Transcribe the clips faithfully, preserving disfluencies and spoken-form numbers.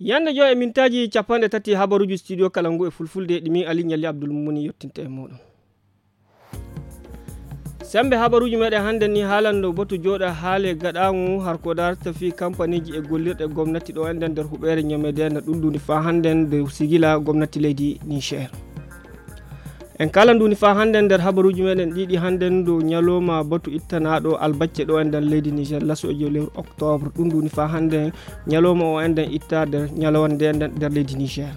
Yande joy e mintaaji capanɗe tati habaruuji studio kala ngu e fulfulde ɗi min Ali Ɲalli Abdul Mumuni yottinta e muɗum. Sembe habaruuji meɗen hannde ni haalando batu jooɗa haale gaɗaaŋu har ko darta fii kampaniiji e gollirɗe gomnati ɗo enɗen nder huɓeere Ɲamedena ɗum nduni faa hannde nde sigila gomnati leydi Niger. En kala nduni faa hannde nder habaruuji meɗen ɗiɗi hannde dow ɲalooma batu ittanaaɗo albacce ɗo enɗen leydi Niger laso e joy lewru octobre. Ɗum nduni faa hannde ɲalooma o enɗen itta nder ɲalawande enɗen nder leydi Niger.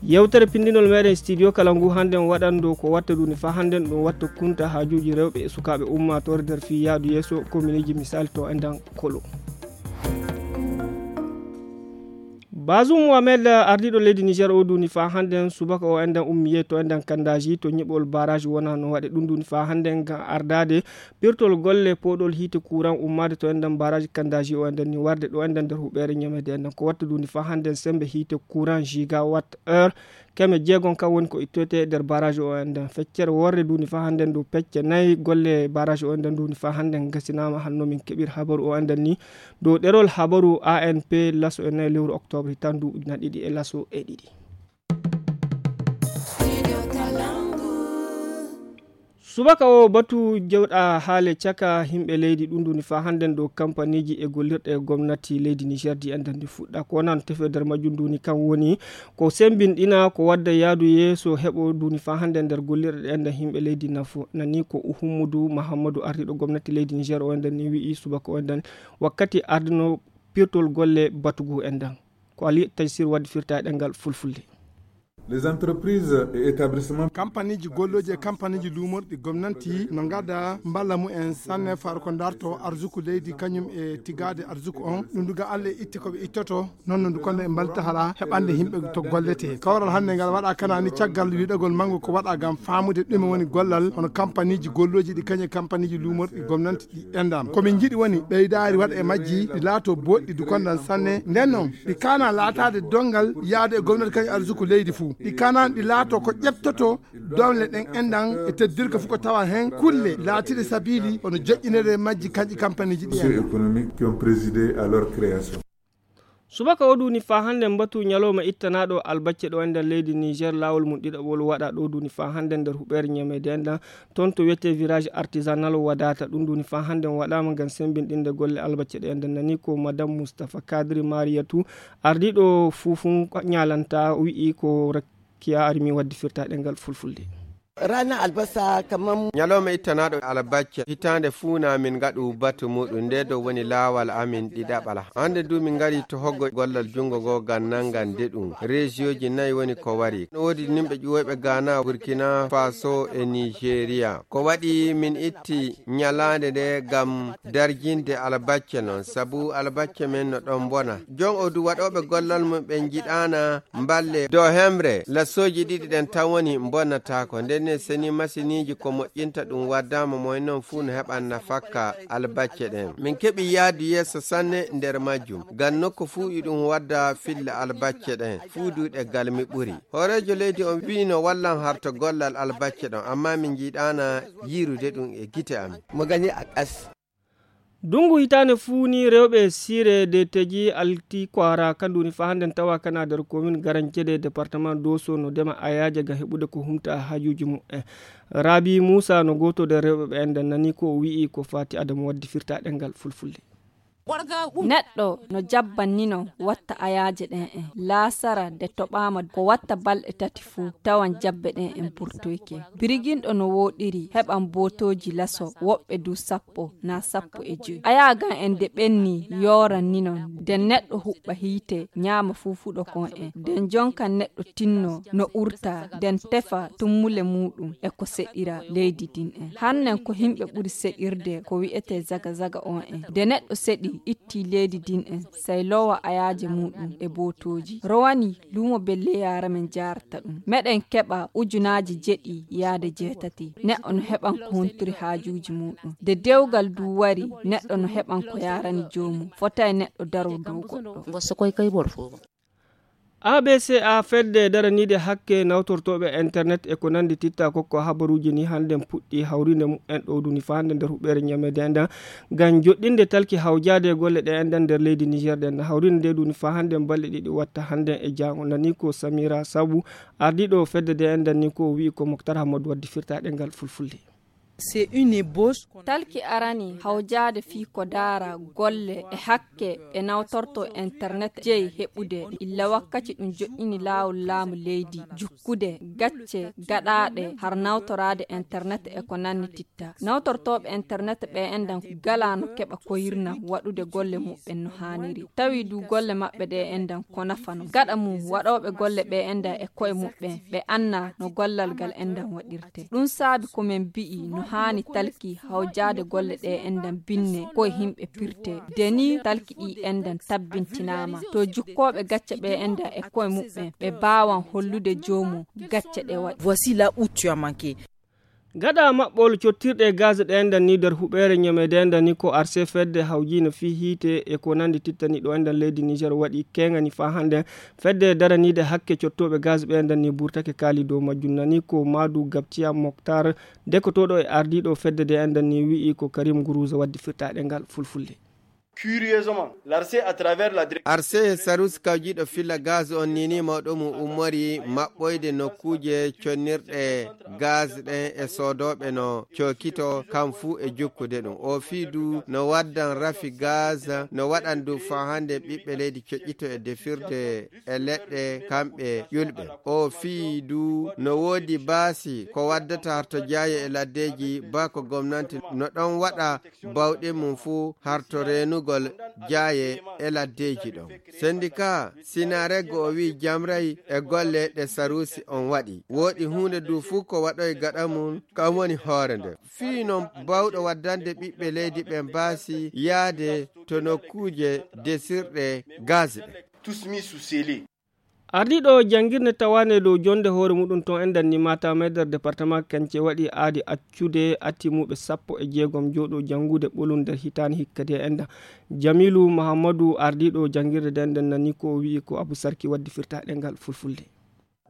Yewtere pindinol meɗen studio kala ngu hannde waɗando ko watta nduni faa hannde ɗum watta kunta haajuuji rewɓe e sukaaɓe ummaatoore nder fii yaadu yeeso komineeji misal to enɗen kolo. Bazum Mohamed ardiiɗo leydi Niger o nduni faa hannde subaka o enɗen ummiye to enɗen kandaaji to ɲiɓol barrage wona no waɗe ɗum nduni faa hannde ngam ardaade pirtol golle pooɗol hiite kuran ummaade to enɗen barrage kandaaji o enɗen ni warde ɗo enɗen nder huɓeere Ɲamede enɗen ko watta nduni faa hannde sembe hiite kuran gigawatt heure keme jeegom kan woni ko ittoyte nder barrage o enɗen. Feccere worre nduni faa hannde ndu pecce nayi golle barrage o enɗen nduni faa hannde ngasinaama hanno min keɓir habaru o enɗen ni dow ɗerol habaru A N P laso e nayi lewru octobre hitan ndu ujuna ɗiɗi e laso e ɗiɗi. Subaka o batu jewɗa haale caka himɓe leydi ɗum nduni faa hannde dow kampaniiji e gollirɗe gomnati leydi Niger di enɗen ndi fuɗɗa ko nan tefe nder majjum nduni kan woni ko sembinɗina ko wadda yaadu yeeso heɓo nduni faa hannde nder gollirɗe enɗen himɓe leydi nafo nani ko Uhummudu Mahammadu ardiiɗo gomnati leydi Niger o enɗen ni wi'i subaka o enɗen wakkati ardino pirtol golle batugu enɗen. Ko Ali Taysir waddi firta e ɗengal fulfulde. Les entreprises et établissements. Kampaniji golloji e kampaniji luumorɗi gomnanti no ngada mballa mumen sanne faro ko darto arzuku leydi kañum e tigade arzuku on ɗum duga Allah e itte ko ɓe ittoto noon no ndu kono e mbalta hara heɓande yimɓe to gollete kawral hannde ngal waɗa kanani caggal wiɗagol mango ko waɗa gam famude ɗume woni gollal hono kampaniji golloji ɗi kañum e kampaniji luumorɗi gomnanti ɗi enɗam komin jiɗi woni ɓeydaari waɗa e majji ɗi laato boɗɗi dukondan sanne nden noon ɗi kana laataade donngal yaade e gomnati kañum arsuku leydi fuu ɗi kana ɗi laato ko ƴettoto doole ɗen enɗan e teddirka fof ko tawa heen kulle laatiiɗe sabiili hono joƴƴinede e majji kanƴi kampaniji ɗi enɗan. Économiques qui ont présidé à leur création. Subaka o duuni faa hannde mbatu ñalawma ittanaaɗo albacce ɗo e nder leydi Niger laawol mum ɗiɗaɓol waɗa ɗo duuni faa hannde nder huɓeere ñameede enɗan toon to wiyetee village artisanal Wadata ɗum duuni faa hannde waɗaama ngam semmbinɗinde golle albacce ɗe enɗan nani ko madame Moustapha Kadri Mariyatu ardiiɗo fuufun ñalanta wi'i ko rakkiya armi waddi firta ɗengal fulfulde. Rana albasa kamar ñalawma ittanaaɗo albacce hitaande fuu na min ngaɗu batu muɗum nde ɗo woni laawal amin ɗiɗaɓal hannde du min ngari to hoggo gollal junngo ngo ngam nanngan de ɗum reesiyooji nayi woni ko wari no woodi nimɓe ƴuwoyɓe Ghana Burkina Faso e Nigeria ko waɗi min itti ñalaande nde ngam darjinde albacce noon sabu albacce men no ɗon mbona jon o du waɗooɓe gollal mum ɓe njiɗaana mballe dow hemre lasooji ɗiɗi ɗen tan woni mbonnataako nden ne seni masiniiji ko moƴƴinta ɗum waddaama moy noon fuu no heɓan nafakka albacce ɗen min keɓi yaadu yeeso sanne nder majjum ngam nokku fuu iɗum wadda filla albacce ɗen fuu duuɗe galmi ɓuri hooreejo leydi on wi'i no wallan harto gollal albacce ɗon amma min njiɗaana yiirude ɗum e gite amin. Mo gani a ƙas. Dungu hitaande fuu ni rewɓe siire de teji alti kwara kandu ni faa hannde tawa kana nder komin garancede département doso no ndema ayaaje ngam heɓude ko humta haajuuji mumen. Rabi Muusa no gooto nder rewɓe ɓe enɗan nani ko o wi'i ko faati adamu waddi firta ɗengal fulfulde. Neɗɗo no jabbannino watta ayaaje ɗen en laasara de toɓaama ko watta balɗe tati fuu tawan jabbe ɗen en burtoyke. Biriginɗo no wooɗiri heɓan bootooji laso woɓɓe du sappo naa sappo e joy. Ayaagan en de ɓenni yooran ninon de neɗɗo huɓɓa hiite ñaama fuufuɗo kon en de jonkan neɗɗo tinno no urta den tefa tummule muuɗum e ko seɗira leydi din en. Hannen ko himɓe ɓuri seɗirde ko wi'etee zaga zaga on en. De neɗɗo seɗi itti leydi din en sey lowa ayaaje muuɗum e bootooji. Rowani luumo belle yaara men jaarata ɗum. Meɗen keɓa ujunaaji jeɗi yaade jeetati. Neɗɗo no heɓan ko huntiri haajuuji muuɗum. De dewgal du wari neɗɗo no heɓan ko yaarani joomum. Fotay neɗɗo daro dow goɗɗo. A B C A fedde daraniide hakke nawtortooɓe internet e ko nanndi titta kokko habaruuji ni hannden puɗɗi hawrinde mumen ɗo duni faa hannde nder huɓeere ñameede nden ngam joɗɗinde talki hawjaade e golle ɗe enɗan nder leydi Niger ɗen. Hawrinde nde duni faa hannde balɗe ɗiɗi watta hannde e jaango. Nani ko Samira Sabu, ardiiɗo fedde nde enɗan ni ko wi'i ko Moktar Hammadu waddi firtaaɗe ngal fulfulde. C'est une ébauche. Talki arani hawjaade fii ko daara golle e hakke ɓe nawtorto internet jeyi heɓude illa wakkaci ɗum joɗɗini laawol laamu leydi jukkude gacce gaɗaaɗe har nawtoraade internet e ko nanni titta. Nawtortooɓe internet ɓe enɗan gala no keɓa koyirna waɗude golle muɓɓen no haaniri. Tawi du golle maɓɓe ɗe enɗan ko nafano. Gaɗa mum waɗooɓe golle ɓe enɗan e koye muɓɓen ɓe anna no gollal ngal enɗan waɗirte. Ɗum saabi ko men mbi'i no haani talki hawjaade golle ɗe enɗan binne koye himɓe pirte. De ni talki ɗi enɗan tabbintinaama. To jukkooɓe gacce ɓe enɗan e koye muɓɓen ɓe baawan hollude joomum gacce ɗe waɗi. Voici là où tu as manqué. Gaɗa maɓɓol cottirɗe gaz ɗe enɗan ni nder huɓeere ñameede enɗan ni ko arse fedde hawjiino fii hiite e ko nanndi tittani ɗo enɗan leydi Niger waɗi keengani faa hannde. Fedde daraniide hakke cottooɓe gaz ɓe enɗan ni burtake kaali dow majjum nani ko Maadu Gabtiya Moktar dekotooɗo e ardiiɗo fedde nde enɗan ni wi'i ko Karim Guruza waddi firtaaɗe ngal fulfulde. Curieusement, l'ARCE à travers la direction Arse e Sarus kawjiiɗo filla gaz on nini mawɗo mum ummori maɓɓoyde nokkuuje connirɗe gaz ɗen e soodooɓe no cookito kam fuu e jukkude ɗum. O fii du no waddan rafi gaz, no waɗan du faa hannde ɓiɓɓe leydi coƴƴito e defirde e leɗɗe kamɓe ƴulɓe. O fii du no woodi baasi ko waddata harto jaaye e laddeeji baa ko gomnanti no ɗon waɗa bawɗe mum fuu harto reenugol jaaye e laddeeji ɗon. Sendika Sinarego o wi'i jamray e golle ɗe Sarusi on waɗi. Woodi huunde du fuu ko waɗoy gaɗa mum, kam woni hoore nde. Fii non bawɗo waddande ɓiɓɓe leydi ɓen baasi yaade to nokkuuje desirɗe gaz ɗe. Tous mis sous scellé. Ardiiɗo janngirde tawaande dow jonnde hoore muɗum ton enɗan ni Matamai nder departement Kance waɗi aadi accude atimuɓe sappo e jeegom jooɗo janngude ɓolum nder hitaande hikka de enɗan. Jamilu Mahammadu ardiiɗo janngirde de enɗan nani ko o wi'i ko Abu Sarki waddi firtaaɗe ngal fulfulde.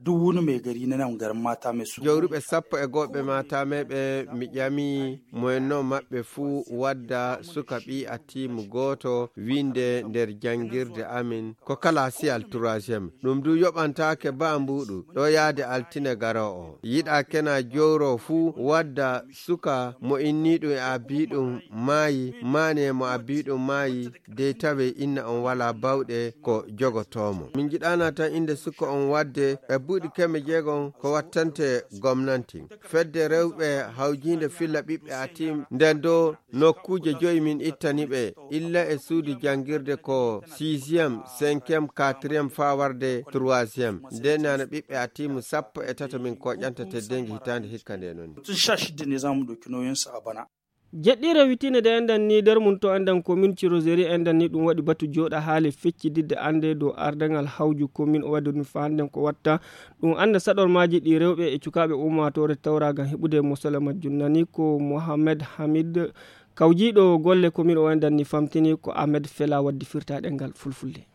Duk wani mai gari na nan garin Matamai su. Jawruɓe sappo e go'o ɓe Matamai ɓe mi ƴami moyenno maɓɓe fuu wadda suka ɓii atimu gooto winnde nder janngirde amin ko kalaasiyal troisième. Ɗum du yoɓantaake baa mbuuɗu ɗo yaade altine garoowo. Yiɗaa kena jowro fuu wadda suka mo inniiɗum e abbiiɗum maayi, maane mo abbiiɗum maayi, dey tawee inna on walaa bawɗe ko jogotoo mo. Min njiɗaana tan innde suka on wadde e buuɗi keme jeegom ko wattante gomnanti. Fedde rewɓe hawjiinde filla ɓiɓɓe atim nden do nokkuuje joyi min ittani ɓe, illa e suudu janngirde ko sixième, cinquième, quatrième faa warde troisième. Nden nana ɓiɓɓe atimu sappo e tato min koƴanta teddeengi hitaande hikka nde non. Mutum sha shida ne za mu ɗauki nauyinsu a bana. Jeɗɗiire witinde de enɗan ni nder mum to enɗan commune Cirozeri enɗan ni ɗum waɗi batu jooɗa haale feccididde annde dow ardangal hawju commune o waɗi ɗum faanden ko watta ɗum annda saɗormaaji ɗi rewɓe e cukaaɓe ummaatoore tawra ngam heɓude mosala majjum nani ko Mohamed Hamid kawjiiɗo golle commune o enɗan ni famtini ko Ahmed Fela waddi firtaaɗe ngal fulfulde.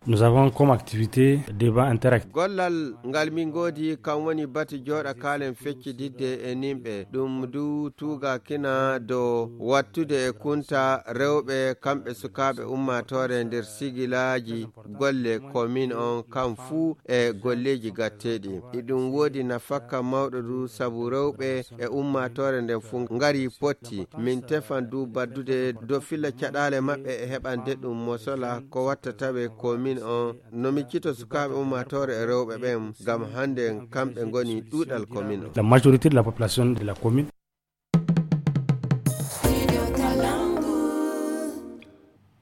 Nous avons comme activité débat interactif. Gollal ngal min ngoodi kam woni batu jooɗa kaalen feccididde e nimɓe ɗum du tuugakina dow wattude e kunta rewɓe kamɓe sukaaɓe ummaatoore nder sigilaaji golle commune on kam fuu e golleeji gatteeɗi. Iɗum woodi nafakka mawɗo du sabu rewɓe e ummaatoore nden fuu ngari potti. Min tefan du baddude dow filla caɗaale maɓɓe e heɓande ɗum mosola ko watta tawe commune on. No miccito sukaaɓe ummaatoore e rewɓe ɓen ngam hannde kamɓe ngoni ɗuuɗal commune on. La majorité de la population de la commune.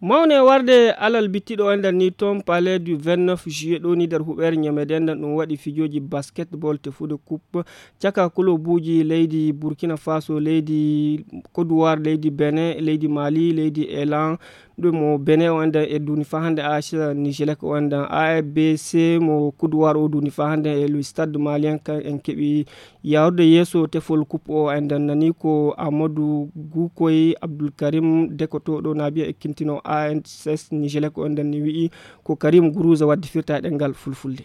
Mawne warde alal bittiɗo enɗan ni toon palais du vingt-neuf juillet ɗo ni nder huɓeere ñameede enɗan ɗum waɗi fijooji basketball tefude coupe caka kolobuuji leydi Burkina Faso, leydi Côte d'Ivoire, leydi Benin, leydi Mali, leydi Elan, Ɗum mo Benin o enden e duuni faa hannde, A S Nigelec o enden, A F B C mo Kuduwaar o duuni faa hannde e le Stade Malien, kan en keɓi yaarude yeeso tefol coupe o enden. Nani ko Amadou Gukoy Abdoul Karim, dekotooɗo naabiya e kintino A S Nigelec o enden, ni wi'i ko Karim Guruza waddi firta e ɗemngal fulfulde.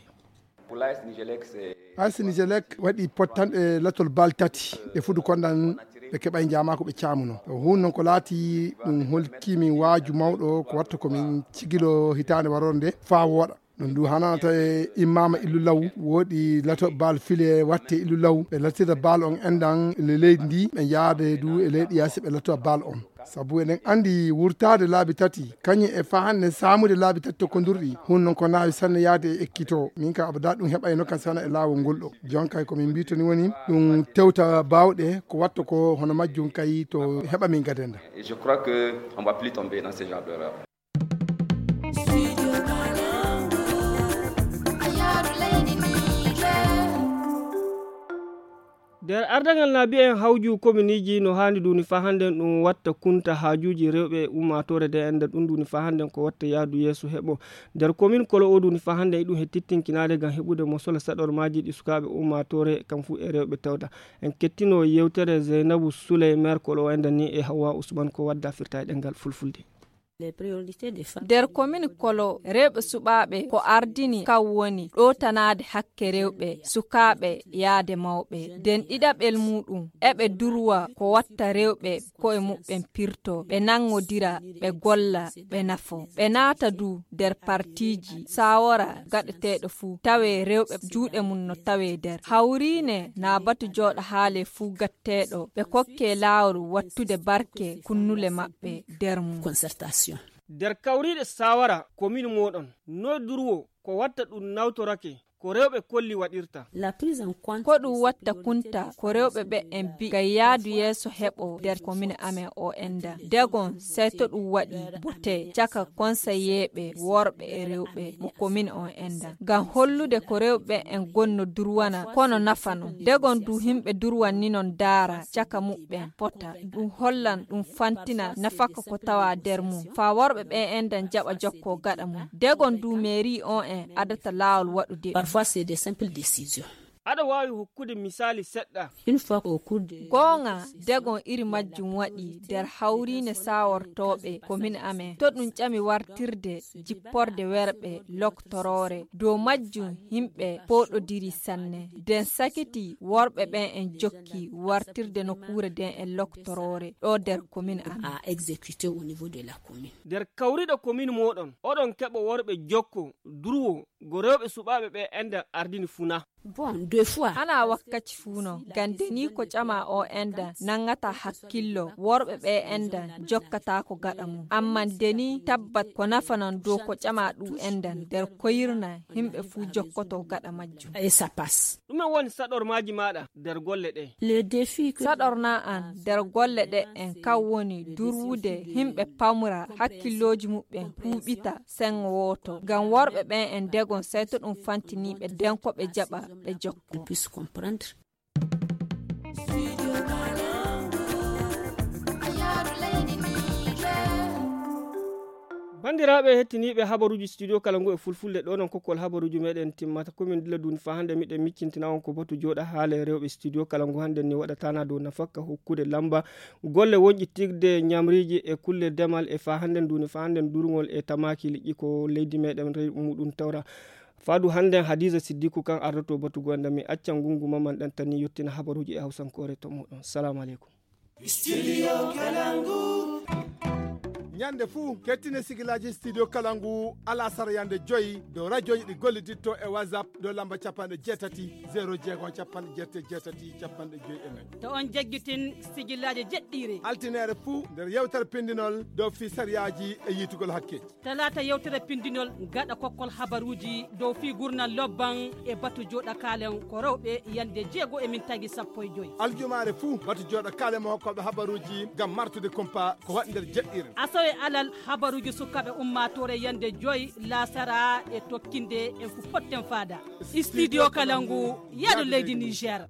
A S Nigelec waɗi pottanɗe latol bal tati, ɓe fudu kondan ɓe keɓay njaama ko ɓe caamuno. Hun noon ko laati ɗum holki min waaju mawɗo ko watta ko min cigilo hitaande warorde nde faa wooɗa. Ɗum du hananata e immama illu law, woɗi lato bal file watte illu law, ɓe lattira bal on endan le leydi ndi, ɓe njaade du e leydi yaasi ɓe lato bal on. Sabu eɗen anndi wurtaade laabi tati, kañum e faa hannde saamude laabi tati to kondurɗi, hun noon ko naawi sanne yaade e ekkito. Min ka abada ɗum heɓayno kan sana e laawol ngol ɗo. Jon kay ko min mbitoni woni ɗum tewta baawɗe ko watta ko hono majjum kay to heɓa min gadenda. Et je crois que on va plus tomber dans ce genre d'erreur. Nder ardagal na mbiyen hawju kominiiji no haani duuni faa hannden ɗum watta kunta haajuuji rewɓe e ummaatoore nde enda ɗum duuni faa hannden ko watta yaadu yeeso heɓo. Nder komin Kolo o duuni faa hannden e ɗum he tittinkinaade ngam heɓude mo sola saɗormaaji ɗi sukaaɓe ummaatoore kam fuu e rewɓe tawda. En kettino yewtere Zeynabu Suley, maire Kolo o enda ni e Hawwa Usman ko wadda firta e ɗemngal fulfulde. Nder komin Kolo, rewɓe suɓaaɓe ko ardini kan woni ɗowtanaade hakke rewɓe, sukaaɓe yaade mawɓe. Nden ɗiɗaɓel muuɗum, eɓe durwa ko watta rewɓe ko'e muɓɓen pirto, ɓe nanŋodira, ɓe golla, ɓe nafo. Ɓe naata du nder partiiji, saawara gaɗeteeɗo fuu, tawe rewɓe juuɗe mum no tawe nder. Hawriine na batu jooɗa haale fuu gatteeɗo, ɓe kokke laawol wattude barke kunnule maɓɓe nder mum. Concertation. Nder kawriiɗe saawara komin mooɗon, noy durwo ko watta ɗum nawtorake ko rewɓe kolli waɗirta. Ko ɗum watta kunta ko rewɓe ɓe en bi gay yaadu yeeso heɓo nder komin amen o enda. Degon sey to ɗum waɗi bote caka konseyeeɓe worɓe e rewɓe mo komin on enda. Ngam hollude ko rewɓe en gonno durwana kono nafano. Degon du himɓe durwanni non daara caka muɓɓen pota. Ɗum hollan ɗum fantina nafaka ko tawa nder mum. Faa worɓe ɓe enda jaɓa jokko gaɗa mum. Degon du mairie on en adata laawol waɗude ɗum. Parfois, c'est des simples décisions. Aɗa waawi hokkude misaali seɗɗa? Une fois au cours de Goonga, degon iri majjum waɗi nder hawriine saawortooɓe komin amen. To ɗum ƴami wartirde jipporde werɓe loktoroore. Dow majjum himɓe pooɗodiri sanne. Den sakiti worɓe ɓen en jokki wartirde nokkuure den e loktoroore ɗo nder komin amen. À exécuter au niveau de la commune. Nder kawriɗo komin mooɗon, oɗon keɓa worɓe jokko, durwo, go rewɓe suɓaaɓe ɓe enden ardini funa. Bon, deux fois. Hana wakkaci fuu non, ngam deni ko ƴama o endan nangata hakkillo, worɓe ɓe endan jokkata ko gaɗa mum. Amman deni tabbat ko nafanan dow ko ƴama ɗum endan nder koyirna himɓe fuu jokkoto gaɗa majjum. Et ça passe. Ɗume woni saɗormaaji maaɗa nder golle ɗe? Le défi que Saɗorna an nder golle ɗe en kan woni durwude himɓe pamra hakkillooji muɓɓen huuɓita sengo wooto. Ngam worɓe ɓen en degon sey to ɗum fantiniiɓe den ko ɓe jaɓa ɓe jokko. Puisse comprendre. Banndiraaɓe hettiniiɓe habaruuji studio kala ngu e fulfulde ɗo non kokkol habaruuji meɗen timmata komin dila duni fa hannde miɗen miccintina on ko batu jooɗa haale rewɓe studio kala ngu hannden ni waɗatana dow nafakka hokkude lamba golle wonƴitirde ñamriiji e kulle demal e fa hannden duni fa hannden durngol e tamaaki liƴƴi ko leydi meɗen rewi muɗum tawra. Fadu hannden Hadiza Siddiku kan ardoto batu goonda mi accan ngungu maman ɗan tani yottina habaruuji e hawsankoore to muɗum. Salamu aleykum. Studio Kalangu. Ñande fuu kettine sigilaaji studio Kalangu alasara yande joyi dow radioji ɗi golliditto e WhatsApp dow lamba capanɗe jeetati zero jeego capanɗe jeetati jeetati capanɗe joyi e nayi. To on jaggitin sigilaaji jeɗɗiire. Altineere fuu nder yewtere pindinol dow fii sariyaaji e yiitugol hakkeeji. Talaata yewtere pindinol gaɗa kokkol habaruuji dow fii gurnal lobban e batu jooɗa kaalen ko rewɓe yande jeego e min tagi sappo e joyi. Aljumaare fuu batu jooɗa kaalen mo hokkooɓe habaruuji ngam martude kumpa ko waɗi nder jeɗɗiire. Asawe alal habaruuji sukaaɓe ummaatoore yande joyi laasara e tokkinde en fu potten faada. Studio Kalangu, yaadu leydi Niger.